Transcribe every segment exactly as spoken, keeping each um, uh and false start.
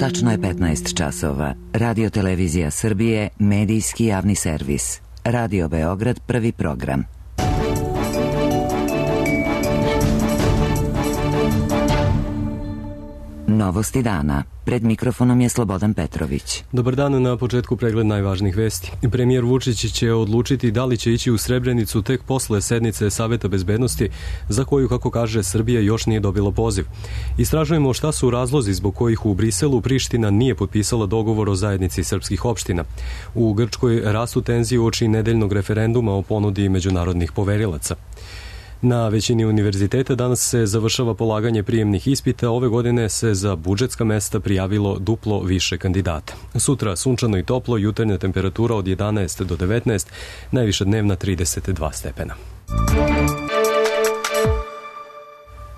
Tačno je petnaest časova. Radio Televizija Srbije, medijski javni servis. Radio Beograd, prvi program. Novosti dana. Pred mikrofonom je Slobodan Petrović. Dobar dan, na početku pregled najvažnijih vesti. Premijer Vučić će odlučiti da li će ići u Srebrenicu tek posle sednice Saveta bezbednosti, za koju, kako kaže, Srbija još nije dobila poziv. Istražujemo šta su razlozi zbog kojih u Briselu Priština nije potpisala dogovor o zajednici srpskih opština. U Grčkoj rastu tenzije uoči nedeljnog referenduma o ponudi međunarodnih poverilaca. Na većini univerziteta danas se završava polaganje prijemnih ispita. Ove godine se za budžetska mesta prijavilo duplo više kandidata. Sutra sunčano i toplo, jutarnja temperatura od jedanaest do devetnaest, najviša dnevna trideset dva stepena.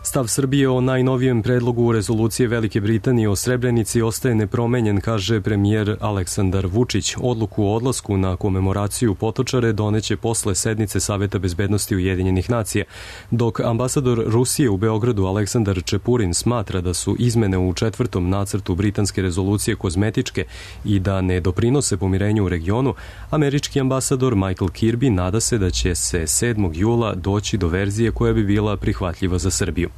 Stav Srbije o najnovijem predlogu rezolucije Velike Britanije o Srebrenici ostaje nepromenjen, kaže premijer Aleksandar Vučić. Odluku o odlasku na komemoraciju Potočare doneće posle sednice Saveta bezbednosti Ujedinjenih nacija, dok ambasador Rusije u Beogradu Aleksandar Čepurin smatra da su izmene u četvrtom nacrtu britanske rezolucije kozmetičke i da ne doprinose pomirenju u regionu. Američki ambasador Michael Kirby nada se da će se sedmog jula doći do verzije koja bi bila prihvatljiva za Srbiju.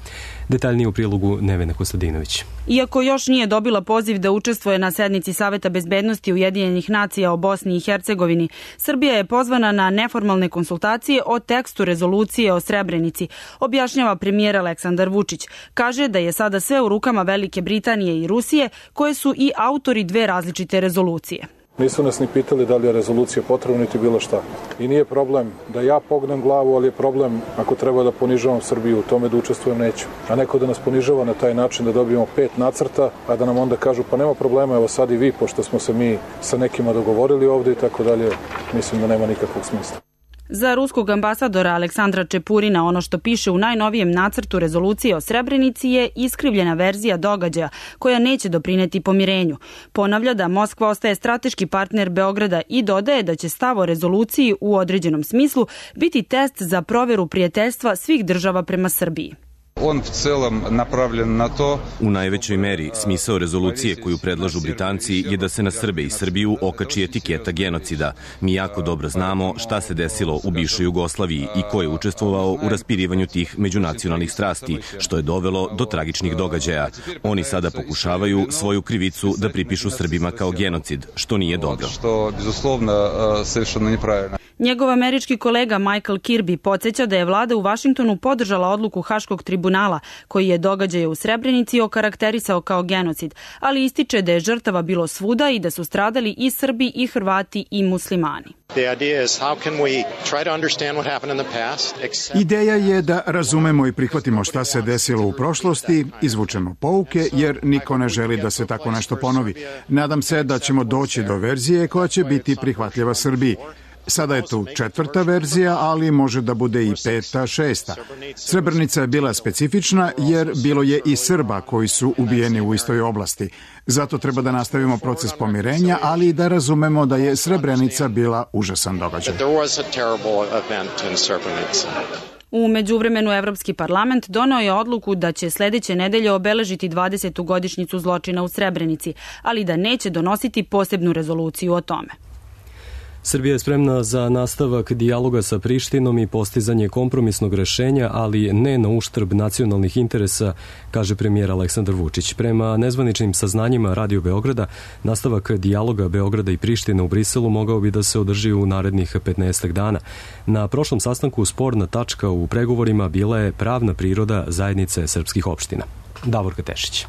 Detaljnije u prilogu Nevena Kostadinović. Iako još nije dobila poziv da učestvuje na sednici Saveta bezbednosti Ujedinjenih nacija o Bosni i Hercegovini, Srbija je pozvana na neformalne konsultacije o tekstu rezolucije o Srebrenici, objašnjava premijer Aleksandar Vučić. Kaže da je sada sve u rukama Velike Britanije i Rusije, koje su i autori dve različite rezolucije. Nisu nas ni pitali da li je rezolucija potrebna niti bilo šta. I nije problem da ja pognem glavu, ali je problem ako treba da ponižavam Srbiju u tome da učestvujem neću. A neko da nas ponižava na taj način da dobijemo pet nacrta, a da nam onda kažu pa nema problema, evo sad i vi, pošto smo se mi sa nekima dogovorili ovde i tako dalje, mislim da nema nikakvog smisla. Za ruskog ambasadora Aleksandra Čepurina ono što piše u najnovijem nacrtu rezolucije o Srebrenici je iskrivljena verzija događaja koja neće doprineti pomirenju. Ponavlja da Moskva ostaje strateški partner Beograda i dodaje da će stav o rezoluciji u određenom smislu biti test za proveru prijateljstva svih država prema Srbiji. On v celom napravljen na to. U najvećoj meri smisao rezolucije koju predlažu Britanci je da se na Srbe i Srbiju okači etiketa genocida. Mi jako dobro znamo šta se desilo u bivšoj Jugoslaviji i ko je učestvovao u raspirivanju tih međunacionalnih strasti, što je dovelo do tragičnih događaja. Oni sada pokušavaju svoju krivicu da pripišu Srbima kao genocid, što nije dobro. Što, bezuslovno, savršeno nepravilno. Njegov američki kolega Michael Kirby podsjeća da je vlada u Vašingtonu podržala odluku Haškog tribunala koji je događaje u Srebrenici okarakterisao kao genocid, ali ističe da je žrtava bilo svuda i da su stradali i Srbi i Hrvati i muslimani. Ideja je da razumemo i prihvatimo šta se desilo u prošlosti, izvučemo pouke jer niko ne želi da se tako nešto ponovi. Nadam se da ćemo doći do verzije koja će biti prihvatljiva Srbiji. Sada je tu četvrta verzija, ali može da bude i peta, šesta. Srebrenica je bila specifična jer bilo je i Srba koji su ubijeni u istoj oblasti. Zato treba da nastavimo proces pomirenja, ali i da razumemo da je Srebrenica bila užasan događaj. U međuvremenu Evropski parlament doneo je odluku da će sledeće nedelje obeležiti dvadesetu godišnjicu zločina u Srebrenici, ali da neće donositi posebnu rezoluciju o tome. Srbija je spremna za nastavak dijaloga sa Prištinom i postizanje kompromisnog rešenja, ali ne na uštrb nacionalnih interesa, kaže premijer Aleksandar Vučić. Prema nezvaničnim saznanjima Radio Beograda, nastavak dijaloga Beograda i Prištine u Briselu mogao bi da se održi u narednih petnaestak dana. Na prošlom sastanku sporna tačka u pregovorima bila je pravna priroda zajednice srpskih opština. Davorka Tešić.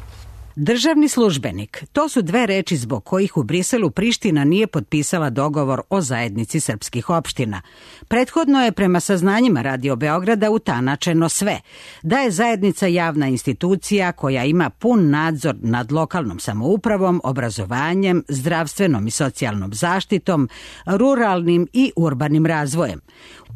Državni službenik, to su dve reči zbog kojih u Briselu Priština nije potpisala dogovor o zajednici srpskih opština. Prethodno je prema saznanjima Radio Beograda utanačeno sve, da je zajednica javna institucija koja ima pun nadzor nad lokalnom samoupravom, obrazovanjem, zdravstvenom i socijalnom zaštitom, ruralnim i urbanim razvojem.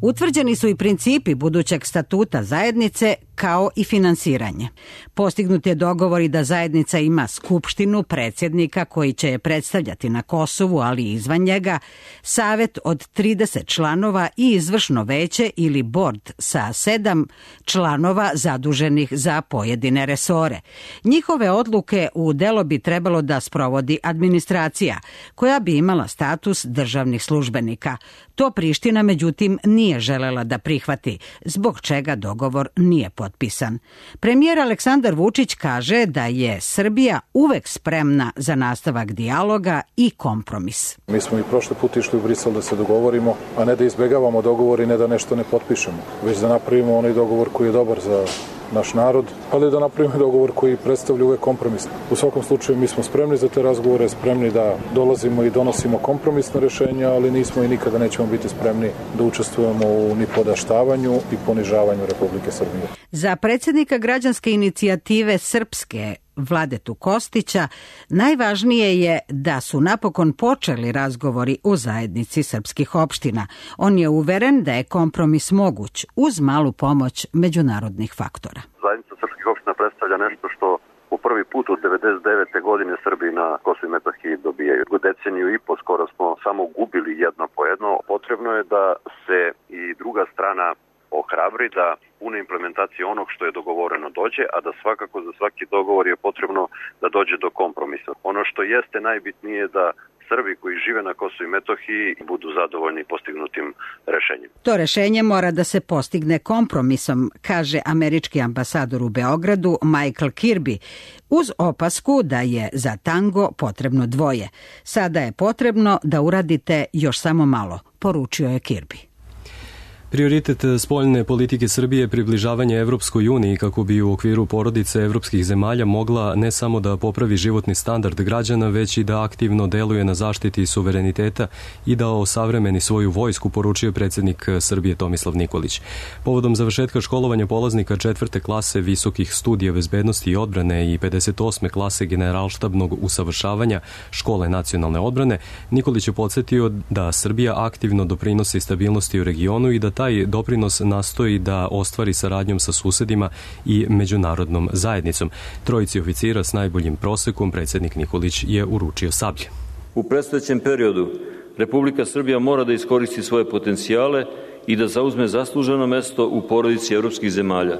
Utvrđeni su i principi budućeg statuta zajednice kao i finansiranje. Postignut je dogovor i da zajednica ima skupštinu, predsjednika koji će je predstavljati na Kosovu, ali i izvan njega, savet od trideset članova i izvršno veće ili bord sa sedam članova zaduženih za pojedine resore. Njihove odluke u delo bi trebalo da sprovodi administracija, koja bi imala status državnih službenika. To Priština, međutim, nije želela da prihvati, zbog čega dogovor nije potpisan. Premijer Aleksandar Vučić kaže da je Srbija uvek spremna za nastavak dijaloga i kompromis. Mi smo i prošli put išli u Brisel da se dogovorimo, a ne da izbegavamo dogovor i ne da nešto ne potpišemo, već da napravimo onaj dogovor koji je dobar za naš narod, ali da napravimo dogovor koji predstavlja uvek kompromis. U svakom slučaju mi smo spremni za te razgovore, spremni da dolazimo i donosimo kompromisne rešenja, ali nismo i nikada nećemo biti spremni da učestvujemo u nipodaštavanju i ponižavanju Republike Srbije. Za predsjednika građanske inicijative Srpske Vladetu Kostića najvažnije je da su napokon počeli razgovori u zajednici srpskih opština. On je uveren da je kompromis moguć uz malu pomoć međunarodnih faktora. Zajednica srpskih opština predstavlja nešto što u prvi put od devedeset devete godine Srbi na Kosovu i Metohiji dobijaju. U deceniju i po skoro smo samo gubili jedno po jedno. Potrebno je da se i druga strana ohrabri da pune implementacije onog što je dogovoreno dođe, a da svakako za svaki dogovor je potrebno da dođe do kompromisa. Ono što jeste najbitnije je da Srbi koji žive na Kosovu i Metohiji budu zadovoljni postignutim rešenjem. To rešenje mora da se postigne kompromisom, kaže američki ambasador u Beogradu Michael Kirby, uz opasku da je za tango potrebno dvoje. Sada je potrebno da uradite još samo malo, poručio je Kirby. Prioritet spoljne politike Srbije je približavanje Evropskoj uniji kako bi u okviru porodice evropskih zemalja mogla ne samo da popravi životni standard građana, već i da aktivno deluje na zaštiti suvereniteta i da osavremeni svoju vojsku, poručio predsjednik Srbije Tomislav Nikolić. Povodom završetka školovanja polaznika četvrte klase visokih studija bezbednosti i odbrane i pedeset osme klase generalštabnog usavršavanja škole nacionalne odbrane, Nikolić je podsjetio da Srbija aktivno doprinosi stabilnosti u regionu i da taj doprinos nastoji da ostvari saradnjom sa susedima i međunarodnom zajednicom. Trojici oficira s najboljim prosekom predsjednik Nikolić je uručio sablje. U predstojećem periodu Republika Srbija mora da iskoristi svoje potencijale i da zauzme zasluženo mesto u porodici evropskih zemalja.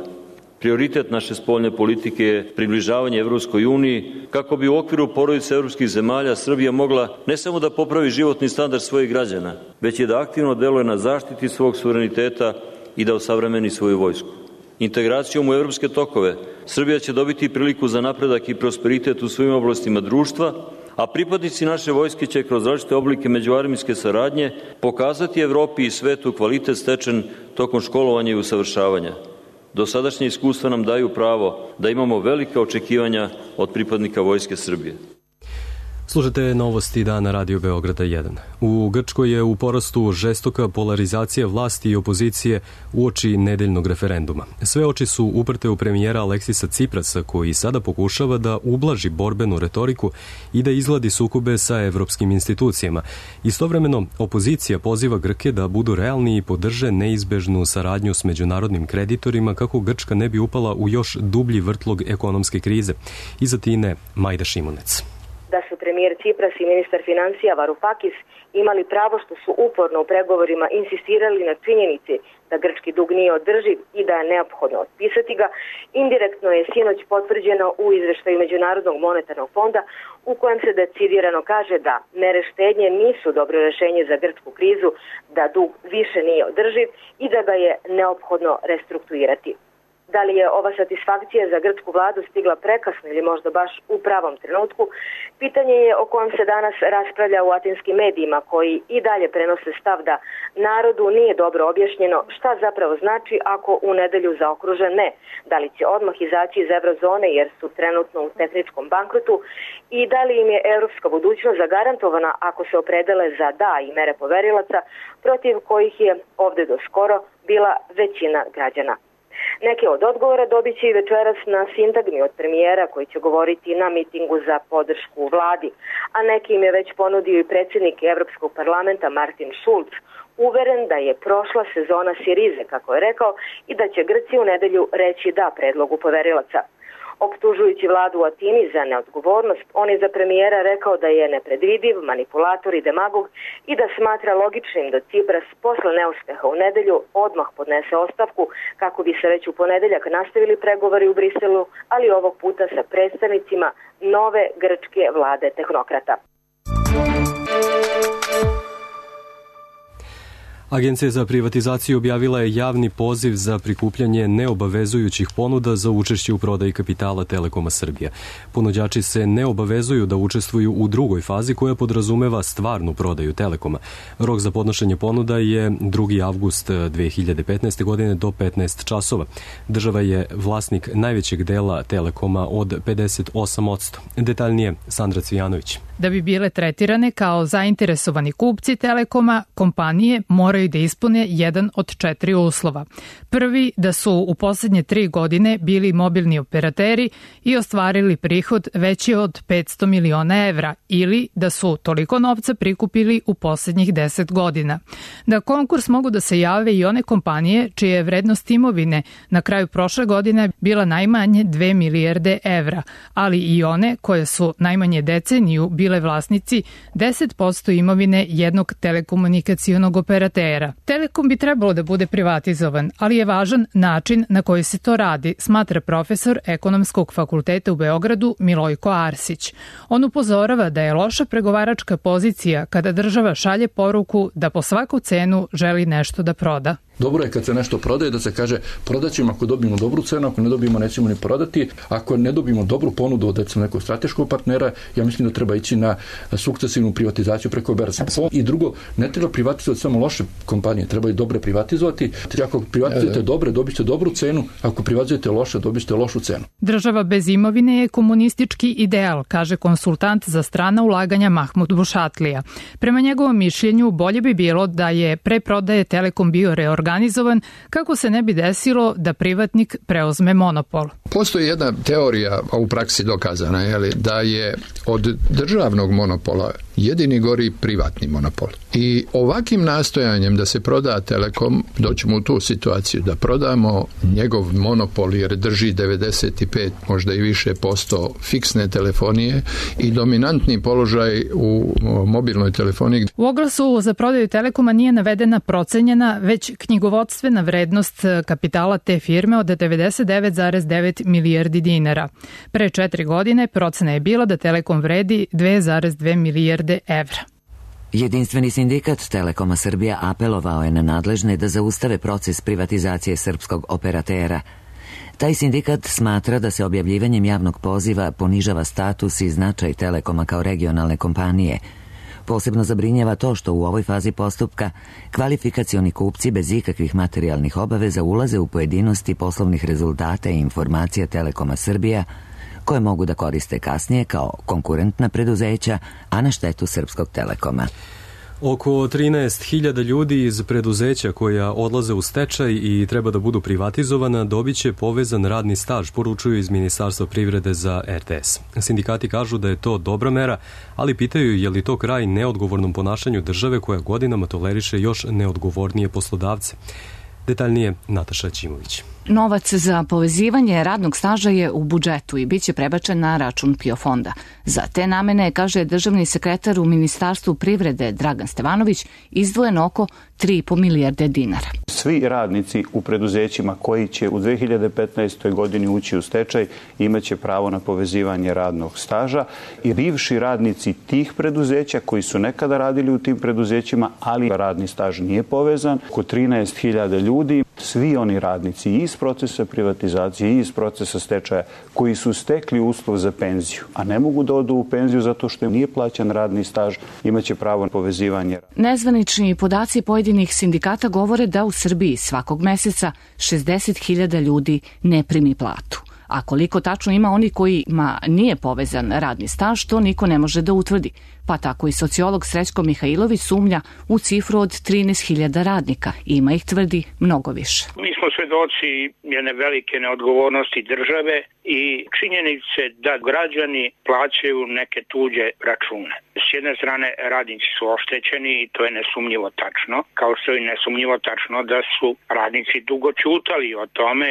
Prioritet naše spoljne politike je približavanje Evropskoj uniji kako bi u okviru porodice evropskih zemalja Srbija mogla ne samo da popravi životni standard svojih građana, već i da aktivno deluje na zaštiti svog suvereniteta i da osavremeni svoju vojsku. Integracijom u evropske tokove Srbija će dobiti priliku za napredak i prosperitet u svim oblastima društva, a pripadnici naše vojske će kroz različite oblike međuarmijske saradnje pokazati Evropi i svetu kvalitet stečen tokom školovanja i usavršavanja. Dosadašnje iskustva nam daju pravo da imamo velika očekivanja od pripadnika Vojske Srbije. Slušajte novosti dana Radio Beograda jedan. U Grčkoj je u porastu žestoka polarizacija vlasti i opozicije uoči nedeljnog referenduma. Sve oči su uprte u premijera Aleksisa Ciprasa, koji sada pokušava da ublaži borbenu retoriku i da izgladi sukobe sa evropskim institucijama. Istovremeno, opozicija poziva Grke da budu realni i podrže neizbežnu saradnju s međunarodnim kreditorima kako Grčka ne bi upala u još dublji vrtlog ekonomske krize. Iza Tine Majda Šimunec. Da su premijer Cipras i ministar financija Varoufakis imali pravo što su uporno u pregovorima insistirali na činjenici da grčki dug nije održiv i da je neophodno otpisati ga, indirektno je sinoć potvrđeno u izveštaju Međunarodnog monetarnog fonda u kojem se decidirano kaže da mere štednje nisu dobro rešenje za grčku krizu, da dug više nije održiv i da ga je neophodno restrukturirati. Da li je ova satisfakcija za grčku vladu stigla prekasno ili možda baš u pravom trenutku, pitanje je o kojem se danas raspravlja u atinskim medijima koji i dalje prenose stav da narodu nije dobro objašnjeno šta zapravo znači ako u nedelju zaokruže ne, da li će odmah izaći iz eurozone jer su trenutno u tehničkom bankrotu i da li im je evropska budućnost zagarantovana ako se opredele za da i mere poverilaca protiv kojih je ovde do skoro bila većina građana. Neke od odgovora dobit će i večeras na sintagmi od premijera koji će govoriti na mitingu za podršku vladi, a neki im je već ponudio i predsjednik Evropskog parlamenta Martin Schulz, uveren da je prošla sezona Sirize, kako je rekao, i da će Grci u nedelju reći da predlogu poverilaca. Optužujući vladu u Atini za neodgovornost, on je za premijera rekao da je nepredvidiv, manipulator i demagog i da smatra logičnim da Cipras posle neuspeha u nedelju odmah podnese ostavku kako bi se već u ponedeljak nastavili pregovori u Briselu, ali ovog puta sa predstavnicima nove grčke vlade tehnokrata. Agencija za privatizaciju objavila je javni poziv za prikupljanje neobavezujućih ponuda za učešće u prodaji kapitala Telekoma Srbije. Ponuđači se ne obavezuju da učestvuju u drugoj fazi koja podrazumeva stvarnu prodaju Telekoma. Rok za podnošenje ponuda je drugi avgust dve hiljade petnaeste. godine do petnaest časova. Država je vlasnik najvećeg dela Telekoma od pedeset osam posto. Detaljnije Sandra Cvijanović. Da bi bile tretirane kao zainteresovani kupci Telekoma, kompanije moraju da ispune jedan od četiri uslova. Prvi, da su u posljednje tri godine bili mobilni operateri i ostvarili prihod veći od petsto miliona evra ili da su toliko novca prikupili u posljednjih deset godina. Da konkurs mogu da se jave i one kompanije čija je vrednost imovine na kraju prošle godine bila najmanje dve milijarde evra, ali i one koje su najmanje deceniju bile vlasnici deset posto imovine jednog telekomunikacionog operatera. Telekom bi trebalo da bude privatizovan, ali je važan način na koji se to radi, smatra profesor Ekonomskog fakulteta u Beogradu Milojko Arsić. On upozorava da je loša pregovaračka pozicija kada država šalje poruku da po svaku cenu želi nešto da proda. Dobro je kad se nešto prodaje da se kaže prodaćemo ako dobijemo dobru cenu, ako ne dobijemo nećemo ni prodati. Ako ne dobijemo dobru ponudu od recimo nekog strateškog partnera, ja mislim da treba ići na sukcesivnu privatizaciju preko berze. I drugo, ne treba privatizovati samo loše kompanije, treba i dobre privatizovati. Ako privatizujete dobre, dobit ćete dobru cenu, ako privatizujete loše, dobit ćete lošu cenu. Država bez imovine je komunistički ideal, kaže konsultant za strana ulaganja Mahmud Bušatlija. Prema njegovom mišljenju, bolje bi bilo da je pre prodaje Telekom bio reorganizovan organizovan kako se ne bi desilo da privatnik preuzme monopol. Postoji jedna teorija, a u praksi dokazana, je da je od državnog monopola jedini gori privatni monopol. I ovakvim nastojanjem da se proda Telekom, doćemo u tu situaciju da prodamo njegov monopol jer drži devedeset pet, možda i više posto fiksne telefonije i dominantni položaj u mobilnoj telefoniji. U oglasu za prodaju Telekoma nije navedena procenjena, već knjigovodstvena vrednost kapitala te firme od devedeset devet zarez devet milijardi dinara. Pre četiri godine procena je bila da Telekom vredi dve zarez dve milijarde evra. Jedinstveni sindikat Telekoma Srbija apelovao je na nadležne da zaustave proces privatizacije srpskog operatera. Taj sindikat smatra da se objavljivanjem javnog poziva ponižava status i značaj Telekoma kao regionalne kompanije. Posebno zabrinjava to što u ovoj fazi postupka kvalifikacioni kupci bez ikakvih materijalnih obaveza ulaze u pojedinosti poslovnih rezultata i informacija Telekoma Srbija, koje mogu da koriste kasnije kao konkurentna preduzeća, a na štetu srpskog Telekoma. Oko trinaest hiljada ljudi iz preduzeća koja odlaze u stečaj i treba da budu privatizovana dobit će povezan radni staž, poručuju iz Ministarstva privrede za er te es. Sindikati kažu da je to dobra mera, ali pitaju je li to kraj neodgovornom ponašanju države koja godinama toleriše još neodgovornije poslodavce. Detaljnije Nataša Ćimović. Novac za povezivanje radnog staža je u budžetu i bit će prebačen na račun PIO fonda. Za te namene, kaže državni sekretar u Ministarstvu privrede Dragan Stevanović, izdvojeno oko tri i po milijarde dinara. Svi radnici u preduzećima koji će u dve hiljade petnaestoj. godini ući u stečaj imaće pravo na povezivanje radnog staža i bivši radnici tih preduzeća koji su nekada radili u tim preduzećima, ali radni staž nije povezan, oko trinaest hiljada ljudi, svi oni radnici iz procesa privatizacije i iz procesa stečaja koji su stekli uslov za penziju, a ne mogu da odu u penziju zato što im nije plaćan radni staž, imaće pravo na povezivanje. Nezvanični podaci pojedinih sindikata govore da u Srbiji svakog meseca šezdeset hiljada ljudi ne primi platu. A koliko tačno ima oni kojima nije povezan radni staž, to niko ne može da utvrdi. pa tako i sociolog Srećko Mihajlović sumnja u cifru od trinaest hiljada radnika. Ima ih, tvrdi, mnogo više. Mi smo svedoci jedne velike neodgovornosti države i činjenice da građani plaćaju neke tuđe račune. S jedne strane radnici su oštećeni i to je nesumnjivo tačno, kao što je nesumnjivo tačno da su radnici dugo ćutali o tome.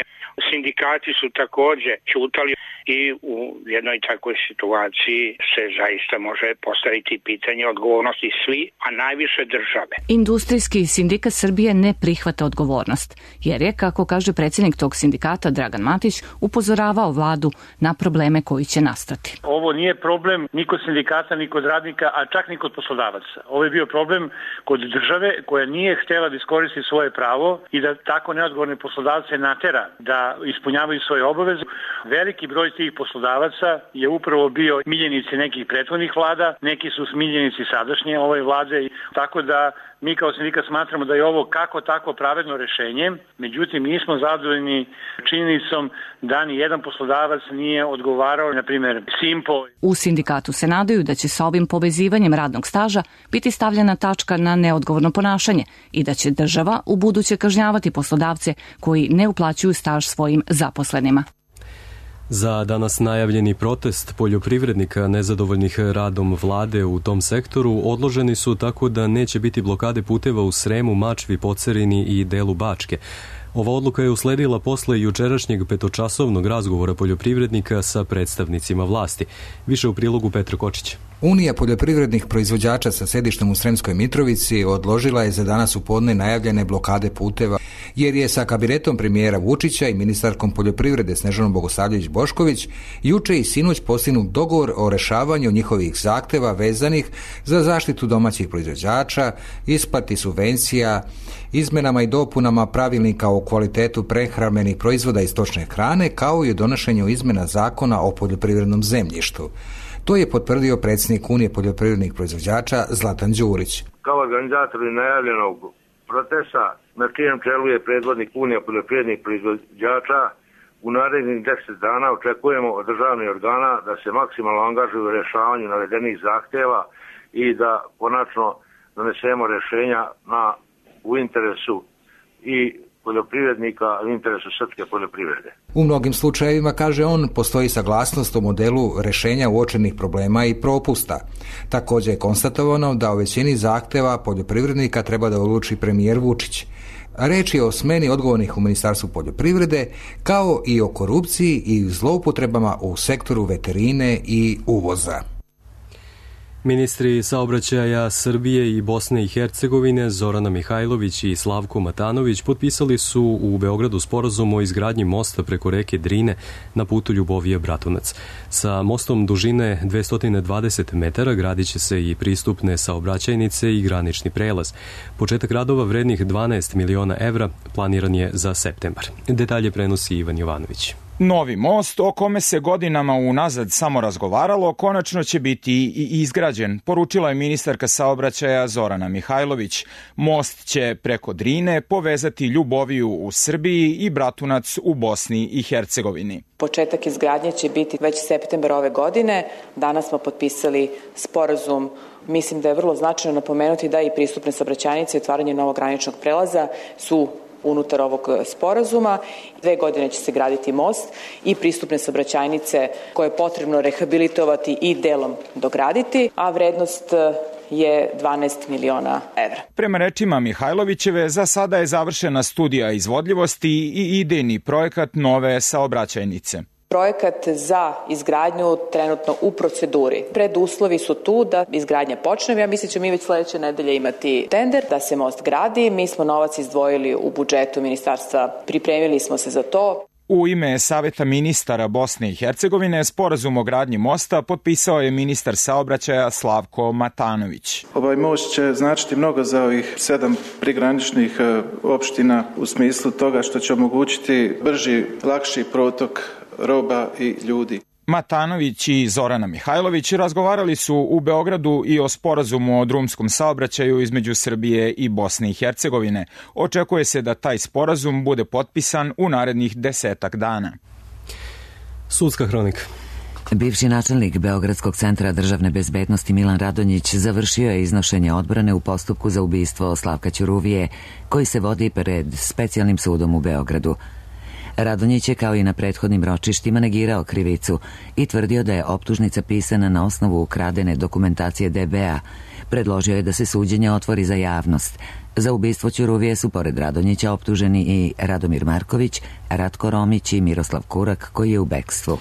Sindikati su takođe ćutali i u jednoj takvoj situaciji se zaista može postaviti pitanje odgovornosti svi, a najviše države. Industrijski sindikat Srbije ne prihvata odgovornost, jer je, kako kaže predsjednik tog sindikata Dragan Matić, upozoravao vladu na probleme koji će nastati. Ovo nije problem ni kod sindikata, ni kod radnika, a čak ni kod poslodavaca. Ovo je bio problem kod države koja nije htjela da iskoristi svoje pravo i da tako neodgovorne poslodavce natera da ispunjavaju svoje obaveze. Veliki broj tih poslodavaca je upravo bio miljenici nekih prethodnih vlada, neki su miljenici sadašnje ove vlade, tako da mi kao sindikat smatramo da je ovo kako tako pravedno rešenje, međutim nismo zadovoljni činjenicom da ni jedan poslodavac nije odgovarao, na primjer Simpo. U sindikatu se nadaju da će sa ovim povezivanjem radnog staža biti stavljena tačka na neodgovorno ponašanje i da će država u buduće kažnjavati poslodavce koji ne uplaćuju staž svojim zaposlenima. Za danas najavljeni protest poljoprivrednika nezadovoljnih radom vlade u tom sektoru odloženi su tako da neće biti blokade puteva u Sremu, Mačvi, Pocerini i delu Bačke. Ova odluka je usledila posle jučerašnjeg petočasovnog razgovora poljoprivrednika sa predstavnicima vlasti. Više u prilogu Petra Kočića. Unija poljoprivrednih proizvođača sa sedištem u Sremskoj Mitrovici odložila je za danas u podne najavljene blokade puteva, jer je sa kabinetom premijera Vučića i ministarkom poljoprivrede Snežanom Bogosavljević-Bošković juče i sinoć postignut dogovor o rešavanju njihovih zahteva vezanih za zaštitu domaćih proizvođača, isplati subvencija, izmenama i dopunama pravilnika o kvalitetu prehrambenih proizvoda i stočne hrane, kao i o donošenju izmena zakona o poljoprivrednom zemljištu. To je potvrdio predsjednik Unije poljoprivrednih proizvođača Zlatan Đurić. Kao organizatori najavljenog protesta, na čijem čelu je predvodnik Unije poljoprivrednih proizvođača, u narednih deset dana očekujemo od državnih organa da se maksimalno angažuju u rešavanju navedenih zahteva i da konačno donesemo rešenja na, u interesu i poljoprivrednika, u interesu srpske poljoprivrede. U mnogim slučajevima, kaže on, postoji saglasnost o modelu rešenja uočenih problema i propusta. Također je konstatovano da o većini zahteva poljoprivrednika treba da odluči premijer Vučić. Reč je o smeni odgovornih u Ministarstvu poljoprivrede, kao i o korupciji i zloupotrebama u sektoru veterine i uvoza. Ministri saobraćaja Srbije i Bosne i Hercegovine Zorana Mihajlović i Slavko Matanović potpisali su u Beogradu sporazum o izgradnji mosta preko reke Drine na putu Ljubovija-Bratunac. Sa mostom dužine dvesta dvadeset metara gradit će se i pristupne saobraćajnice i granični prelaz. Početak radova vrednih dvanaest miliona evra planiran je za septembar. Detalje prenosi Ivan Jovanović. Novi most, o kome se godinama unazad samo razgovaralo, konačno će biti i izgrađen, poručila je ministarka saobraćaja Zorana Mihajlović. Most će preko Drine povezati Ljuboviju u Srbiji i Bratunac u Bosni i Hercegovini. Početak izgradnje će biti već septembar ove godine. Danas smo potpisali sporazum. Mislim da je vrlo značajno napomenuti da i pristupne saobraćajnice i otvaranje novog graničnog prelaza su unutar ovog sporazuma. Dve godine će se graditi most i pristupne saobraćajnice koje je potrebno rehabilitovati i delom dograditi, a vrednost je dvanaest miliona evra. Prema rečima Mihajlovićeve, za sada je završena studija izvodljivosti i idejni projekat nove saobraćajnice. Projekat za izgradnju trenutno u proceduri. Preduslovi su tu da izgradnja počne. Ja mislim da ćemo mi već sledeće nedelje imati tender da se most gradi. Mi smo novac izdvojili u budžetu ministarstva, pripremili smo se za to. U ime Saveta ministara Bosne i Hercegovine sporazum o gradnji mosta potpisao je ministar saobraćaja Slavko Matanović. Ovaj most će značiti mnogo za ovih sedam prigraničnih opština u smislu toga što će omogućiti brži, lakši protok roba i ljudi. Matanović i Zorana Mihajlović razgovarali su u Beogradu i o sporazumu o drumskom saobraćaju između Srbije i Bosne i Hercegovine. Očekuje se da taj sporazum bude potpisan u narednih desetak dana. Sudska hronika. Bivši načelnik Beogradskog centra državne bezbednosti Milan Radonjić završio je iznošenje odbrane u postupku za ubistvo Slavka Ćuruvije, koji se vodi pred Specijalnim sudom u Beogradu. Radonjić je kao i na prethodnim ročištima negirao krivicu i tvrdio da je optužnica pisana na osnovu ukradene dokumentacije D B A. Predložio je da se suđenje otvori za javnost. Za ubistvo Ćuruvije su pored Radonjića optuženi i Radomir Marković, Ratko Romić i Miroslav Kurak, koji je u bekstvu.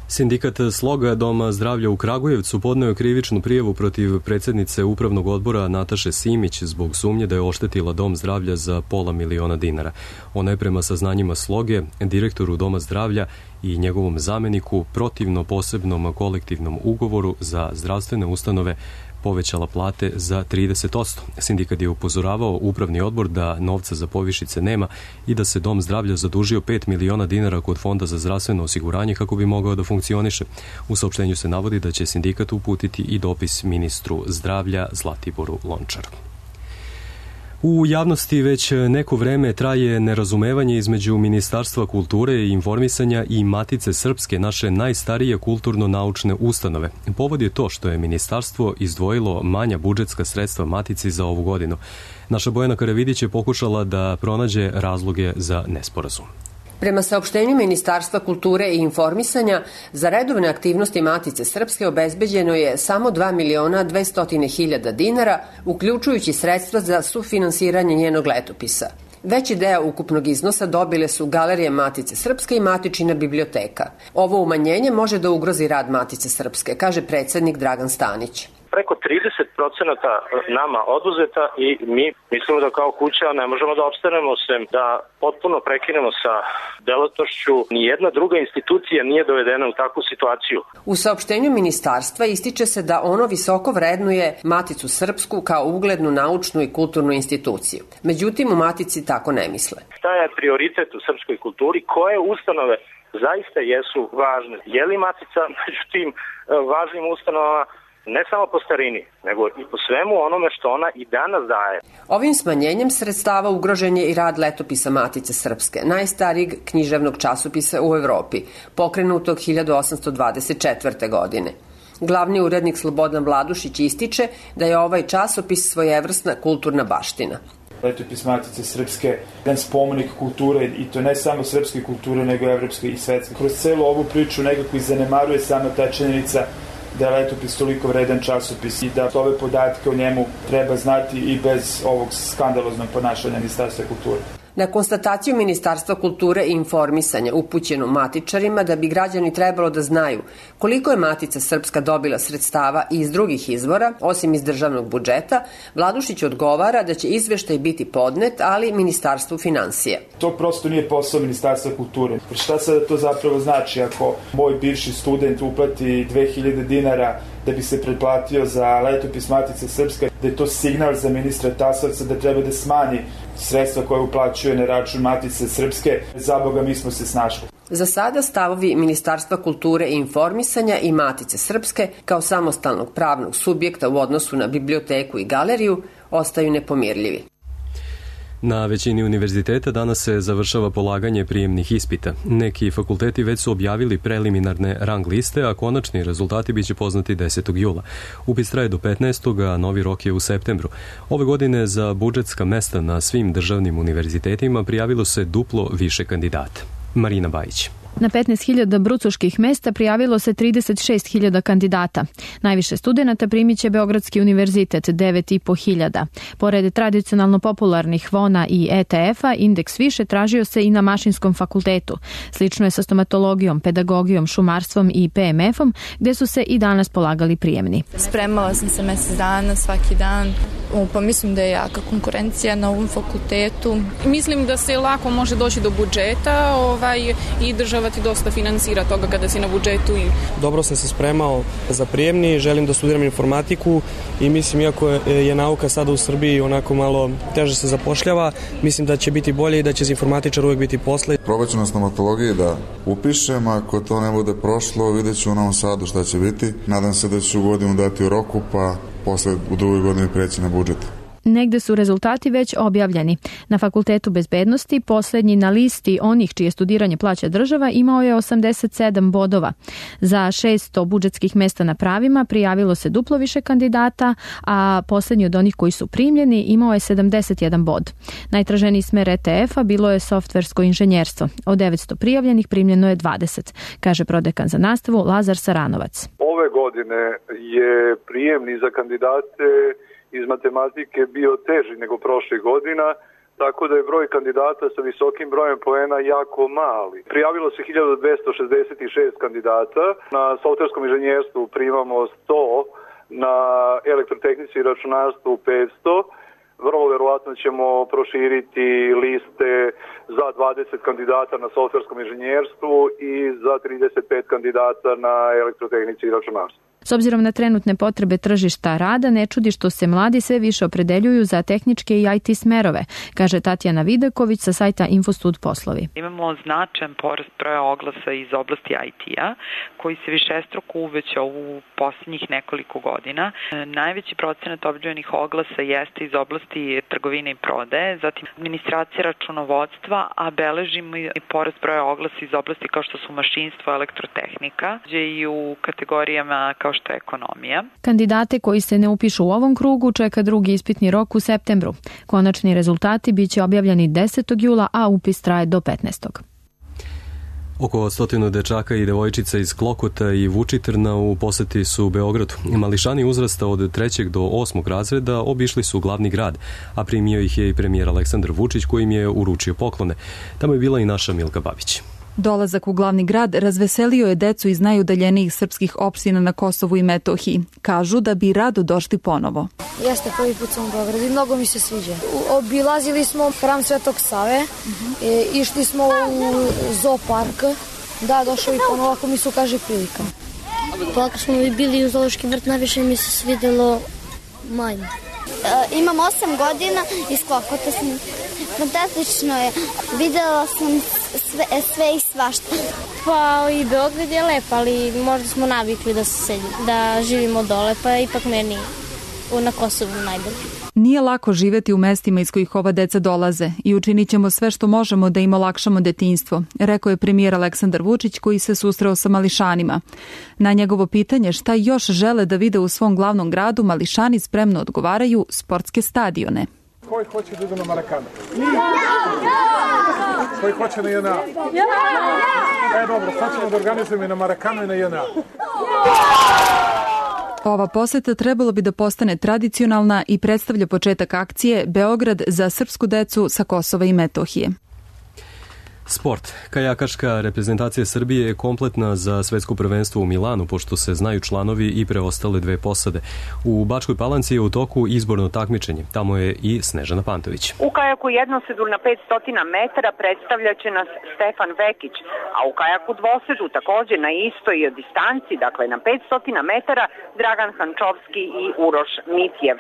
Sindikat Sloga Doma zdravlja u Kragujevcu podneo je krivičnu prijavu protiv predsjednice upravnog odbora Nataše Simić zbog sumnje da je oštetila Dom zdravlja za pola miliona dinara. Ona je prema saznanjima Sloge, direktoru Doma zdravlja i njegovom zameniku protivno posebnom kolektivnom ugovoru za zdravstvene ustanove povećala plate za trideset posto. Sindikat je upozoravao upravni odbor da novca za povišice nema i da se Dom zdravlja zadužio pet miliona dinara kod Fonda za zdravstveno osiguranje kako bi mogao da funkcioniše. U saopštenju se navodi da će sindikat uputiti i dopis ministru zdravlja Zlatiboru Lončaru. U javnosti već neko vreme traje nerazumevanje između Ministarstva kulture i informisanja i Matice Srpske, naše najstarije kulturno-naučne ustanove. Povod je to što je ministarstvo izdvojilo manja budžetska sredstva Matici za ovu godinu. Naša Bojana Karavidić je pokušala da pronađe razloge za nesporazum. Prema saopštenju Ministarstva kulture i informisanja, za redovne aktivnosti Matice Srpske obezbeđeno je samo dva miliona dvesta hiljada dinara, uključujući sredstva za sufinansiranje njenog letopisa. Veći deo ukupnog iznosa dobile su Galerije Matice Srpske i Matičina biblioteka. Ovo umanjenje može da ugrozi rad Matice Srpske, kaže predsednik Dragan Stanić. Preko trideset procenata nama oduzeta i mi mislimo da kao kuća ne možemo da opstanemo sem da potpuno prekinemo sa delatnošću. Nijedna druga institucija nije dovedena u takvu situaciju. U saopštenju ministarstva ističe se da ono visoko vrednuje Maticu Srpsku kao uglednu naučnu i kulturnu instituciju. Međutim, u Matici tako ne misle. Šta je prioritet u srpskoj kulturi? Koje ustanove zaista jesu važne? Je li Matica među tim važnim ustanovama ne samo po starini, nego i po svemu onome što ona i danas daje? Ovim smanjenjem sredstava ugrožen je i rad letopisa Matice Srpske, najstarijeg književnog časopisa u Evropi, pokrenutog hiljadu osamsto dvadeset četvrte. godine. Glavni urednik Slobodan Vladušić ističe da je ovaj časopis svojevrsna kulturna baština. Letopis Matice Srpske, jedan spomenik kulture, i to ne samo srpske kulture, nego evropske i svetske. Kroz celu ovu priču nekako i zanemaruje sama ta činjenica da je letopis toliko vredan časopis i da ove podatke o njemu treba znati i bez ovog skandaloznog ponašanja Ministarstva kulture. Na konstataciju Ministarstva kulture i informisanja upućenu matičarima da bi građani trebalo da znaju koliko je Matica Srpska dobila sredstava i iz drugih izvora, osim iz državnog budžeta, Vladušić odgovara da će izveštaj biti podnet, ali Ministarstvu finansija. To prosto nije posao Ministarstva kulture. Šta sada to zapravo znači ako moj bivši student uplati dve hiljade dinara da bi se pretplatio za letopis Matice Srpske, da je to signal za ministra Tasovca da treba da smanji sredstva koje uplaćuje na račun Matice Srpske? Za Boga, mi smo se snašli. Za sada stavovi Ministarstva kulture i informisanja i Matice Srpske kao samostalnog pravnog subjekta u odnosu na biblioteku i galeriju ostaju nepomirljivi. Na većini univerziteta danas se završava polaganje prijemnih ispita. Neki fakulteti već su objavili preliminarne rang liste, a konačni rezultati biće poznati desetog jula. Upis traje do petnaestog, a novi rok je u septembru. Ove godine za budžetska mesta na svim državnim univerzitetima prijavilo se duplo više kandidata. Marina Bajić. Na petnaest hiljada brucoških mesta prijavilo se trideset šest hiljada kandidata. Najviše studenata primit će Beogradski univerzitet, devet i po hiljada. Pored tradicionalno popularnih Vona i E T F-a, indeks više tražio se i na Mašinskom fakultetu. Slično je sa stomatologijom, pedagogijom, šumarstvom i P M F-om, gde su se i danas polagali prijemni. Spremala sam se mesec dana, svaki dan. Pa mislim da je jaka konkurencija na ovom fakultetu. Mislim da se lako može doći do budžeta ovaj, i država ti dosta finansira toga kada si na budžetu. Dobro sam se spremao za prijemni, želim da studiram informatiku i mislim, iako je nauka sada u Srbiji onako malo teže se zapošljava, mislim da će biti bolje i da će za informatičar uvijek biti posle. Probat ću na stomatologiji da upišem, ako to ne bude prošlo, vidjet ću u Novom Sadu šta će biti. Nadam se da ću godinu dati u roku, pa posle u drugoj godini preći na budžet. Negde su rezultati već objavljeni. Na Fakultetu bezbednosti posljednji na listi onih čije studiranje plaća država imao je osamdeset sedam bodova. Za šesto budžetskih mesta na pravima prijavilo se duplo više kandidata, a posljednji od onih koji su primljeni imao je sedamdeset jedan bod. Najtraženiji smer E T F-a bilo je softversko inženjerstvo. Od devetsto prijavljenih primljeno je dvadeset, kaže prodekan za nastavu Lazar Saranovac. Ove godine je prijemni za kandidate iz matematike bio teži nego prošlih godina, tako da je broj kandidata sa visokim brojem poena jako mali. Prijavilo se hiljadu dvesta šezdeset šest kandidata, na softverskom inženjerstvu primamo sto, na elektrotehnici i računarstvu petsto. Vrlo verovatno ćemo proširiti liste za dvadeset kandidata na softverskom inženjerstvu i za trideset pet kandidata na elektrotehnici i računarstvu. S obzirom na trenutne potrebe tržišta rada, ne čudi što se mladi sve više opredeljuju za tehničke i I T smerove, kaže Tatjana Vidaković sa sajta Infostud poslovi. Imamo značajan porast broja oglasa iz oblasti I T-a, koji se višestruko uvećao u posljednjih nekoliko godina. Najveći procenat objavljenih oglasa jeste iz oblasti trgovine i prodaje, zatim administracija računovodstva, a beležimo i porast broja oglasa iz oblasti kao što su mašinstvo, elektrotehnika, i u kategorijama kao što je ekonomija. Kandidate koji se ne upišu u ovom krugu čeka drugi ispitni rok u septembru. Konačni rezultati biće objavljeni desetog jula, a upis traje do petnaestog Oko stotinu dečaka i devojčica iz Klokota i Vučitrna u poseti su u Beogradu. Mališani uzrasta od trećeg do osmog razreda obišli su glavni grad, a primio ih je i premijer Aleksandar Vučić koji im je uručio poklone. Tamo je bila i naša Milka Babić. Dolazak u glavni grad razveselio je decu iz najudaljenijih srpskih opština na Kosovu i Metohiji. Kažu da bi rado došli ponovo. Jeste, prvi put sam u Beogradu i mnogo mi se sviđa. Obilazili smo hram Svetog Save, uh-huh. e, išli smo u zoopark, da, došao i ponovo ako mi se ukaže prilika. Pa ako smo bili u zoološki vrt, najviše mi se svidjelo majmun. E, imam osam godina i s Klokota sam. Fantastično je. Videla sam sve, sve i svašta. Pa i Beograd je lep, ali možda smo navikli da, se, da živimo dole, pa ipak meni na Kosovu najbolje. Nije lako živjeti u mestima iz kojih ova deca dolaze i učinit ćemo sve što možemo da im olakšamo detinjstvo, rekao je premijer Aleksandar Vučić koji se susreo sa mališanima. Na njegovo pitanje šta još žele da vide u svom glavnom gradu, mališani spremno odgovaraju sportske stadione. Koji hoće da idu na Marakanu? Koji hoće na J N A? E, dobro, sad ćemo da organizujemo i na Marakanu i na J N A. Ova poseta trebalo bi da postane tradicionalna i predstavlja početak akcije Beograd za srpsku decu sa Kosova i Metohije. Sport. Kajakaška reprezentacija Srbije je kompletna za svetsko prvenstvo u Milanu, pošto se znaju članovi i preostale dve posade. U Bačkoj Palanci je u toku izborno takmičenje. Tamo je i Snežana Pantović. U kajaku jednosedu na petsto metara predstavljaće nas Stefan Vekić, a u kajaku dvosedu također na istoj distanci, dakle na petsto metara, Dragan Hančovski i Uroš Mitjev.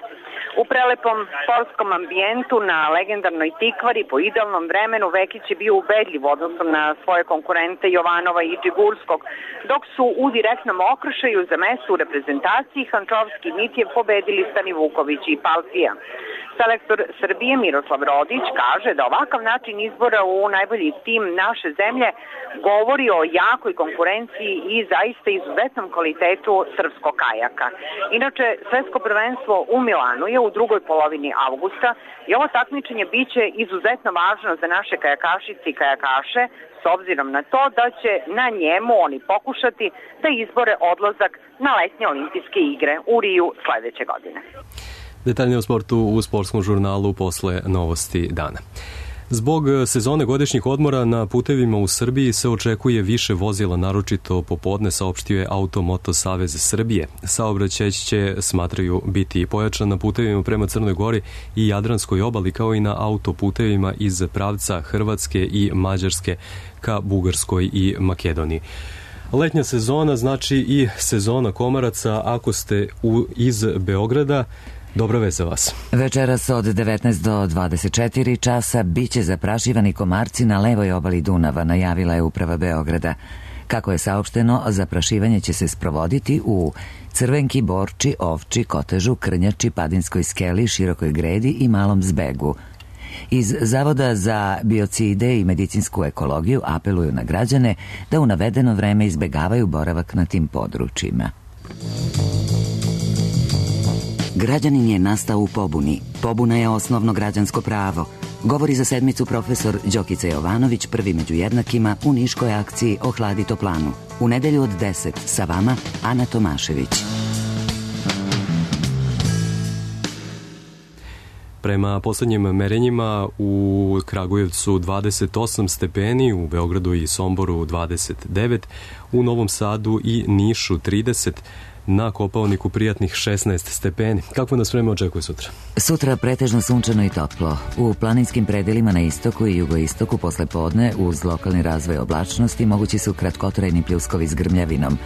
U prelepom sportskom ambijentu na legendarnoj Tikvari po idealnom vremenu Vekić je bio ubedljiv u odnosu na svoje konkurente Jovanova i Džigurskog, dok su u direktnom okršaju za mesto u reprezentaciji Hančovski i Mitjev pobedili Stani Vuković i Palfija. Selektor Srbije Miroslav Rodić kaže da ovakav način izbora u najbolji tim naše zemlje govori o jakoj konkurenciji i zaista izuzetnom kvalitetu srpskog kajaka. Inače, svetsko prvenstvo u Milanu je u drugoj polovini avgusta i ovo takmičenje biće izuzetno važno za naše kajakašice i kajakaše, s obzirom na to da će na njemu oni pokušati da izbore odlazak na letnje olimpijske igre u Riju sledeće godine. Detaljnije o sportu u sportskom žurnalu posle novosti dana. Zbog sezone godišnjih odmora na putevima u Srbiji se očekuje više vozila, naročito popodne, saopštio je Auto-Moto Savez Srbije. Saobraćaj će, smatraju, biti pojačan na putevima prema Crnoj Gori i Jadranskoj obali, kao i na autoputevima iz pravca Hrvatske i Mađarske ka Bugarskoj i Makedoniji. Letnja sezona znači i sezona komaraca. Ako ste u, iz Beograda, dobra vest za vas. Večeras od devetnaest do dvadeset četiri časa biće zaprašivani komarci na levoj obali Dunava, najavila je uprava Beograda. Kako je saopšteno, zaprašivanje će se sprovoditi u Crvenki, Borči, Ovči, Kotežu, Krnjači, Padinskoj skeli, Širokoj gredi i Malom Zbegu. Iz Zavoda za biocide i medicinsku ekologiju apeluju na građane da u navedeno vreme izbegavaju boravak na tim područjima. Građanin je nastao u pobuni. Pobuna je osnovno građansko pravo. Govori za sedmicu profesor Đokica Jovanović, prvi među jednakima u niškoj akciji Ohladi toplanu. U nedelju od deset sa vama Ana Tomašević. Prema poslednjim merenjima u Kragujevcu dvadeset osam stepeni, u Beogradu i Somboru dvadeset devet, u Novom Sadu i Nišu trideset, na Kopaoniku prijatnih šesnaest stepeni. Kako nas vreme očekuje sutra? Sutra pretežno sunčano i toplo. U planinskim predelima na istoku i jugoistoku posle podne uz lokalni razvoj oblačnosti mogući su kratkotrajni pljuskovi s grmljavinom.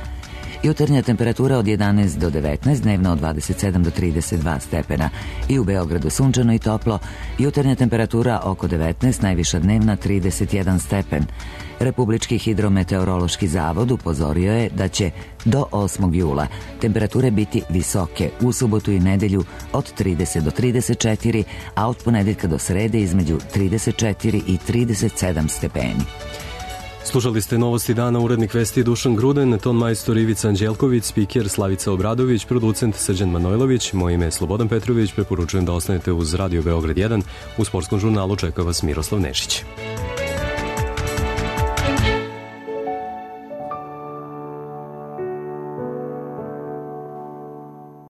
Jutarnja temperatura od jedanaest do devetnaest, dnevno od dvadeset sedam do trideset dva stepena. I u Beogradu sunčano i toplo, jutarnja temperatura oko devetnaest, najviša dnevna trideset jedan stepen. Republički hidrometeorološki zavod upozorio je da će do osmog jula temperature biti visoke u subotu i nedelju od trideset do trideset četiri, a od ponedeljka do srede između trideset četiri i trideset sedam stepeni. Slušali ste Novosti dana, urednik vesti Dušan Gruden, ton majstor Ivica Anđelković, spiker Slavica Obradović, producent Srđan Manojlović, moje ime je Slobodan Petrović, preporučujem da ostanete uz Radio Beograd jedan, u sportskom žurnalu čeka vas Miroslav Nešić.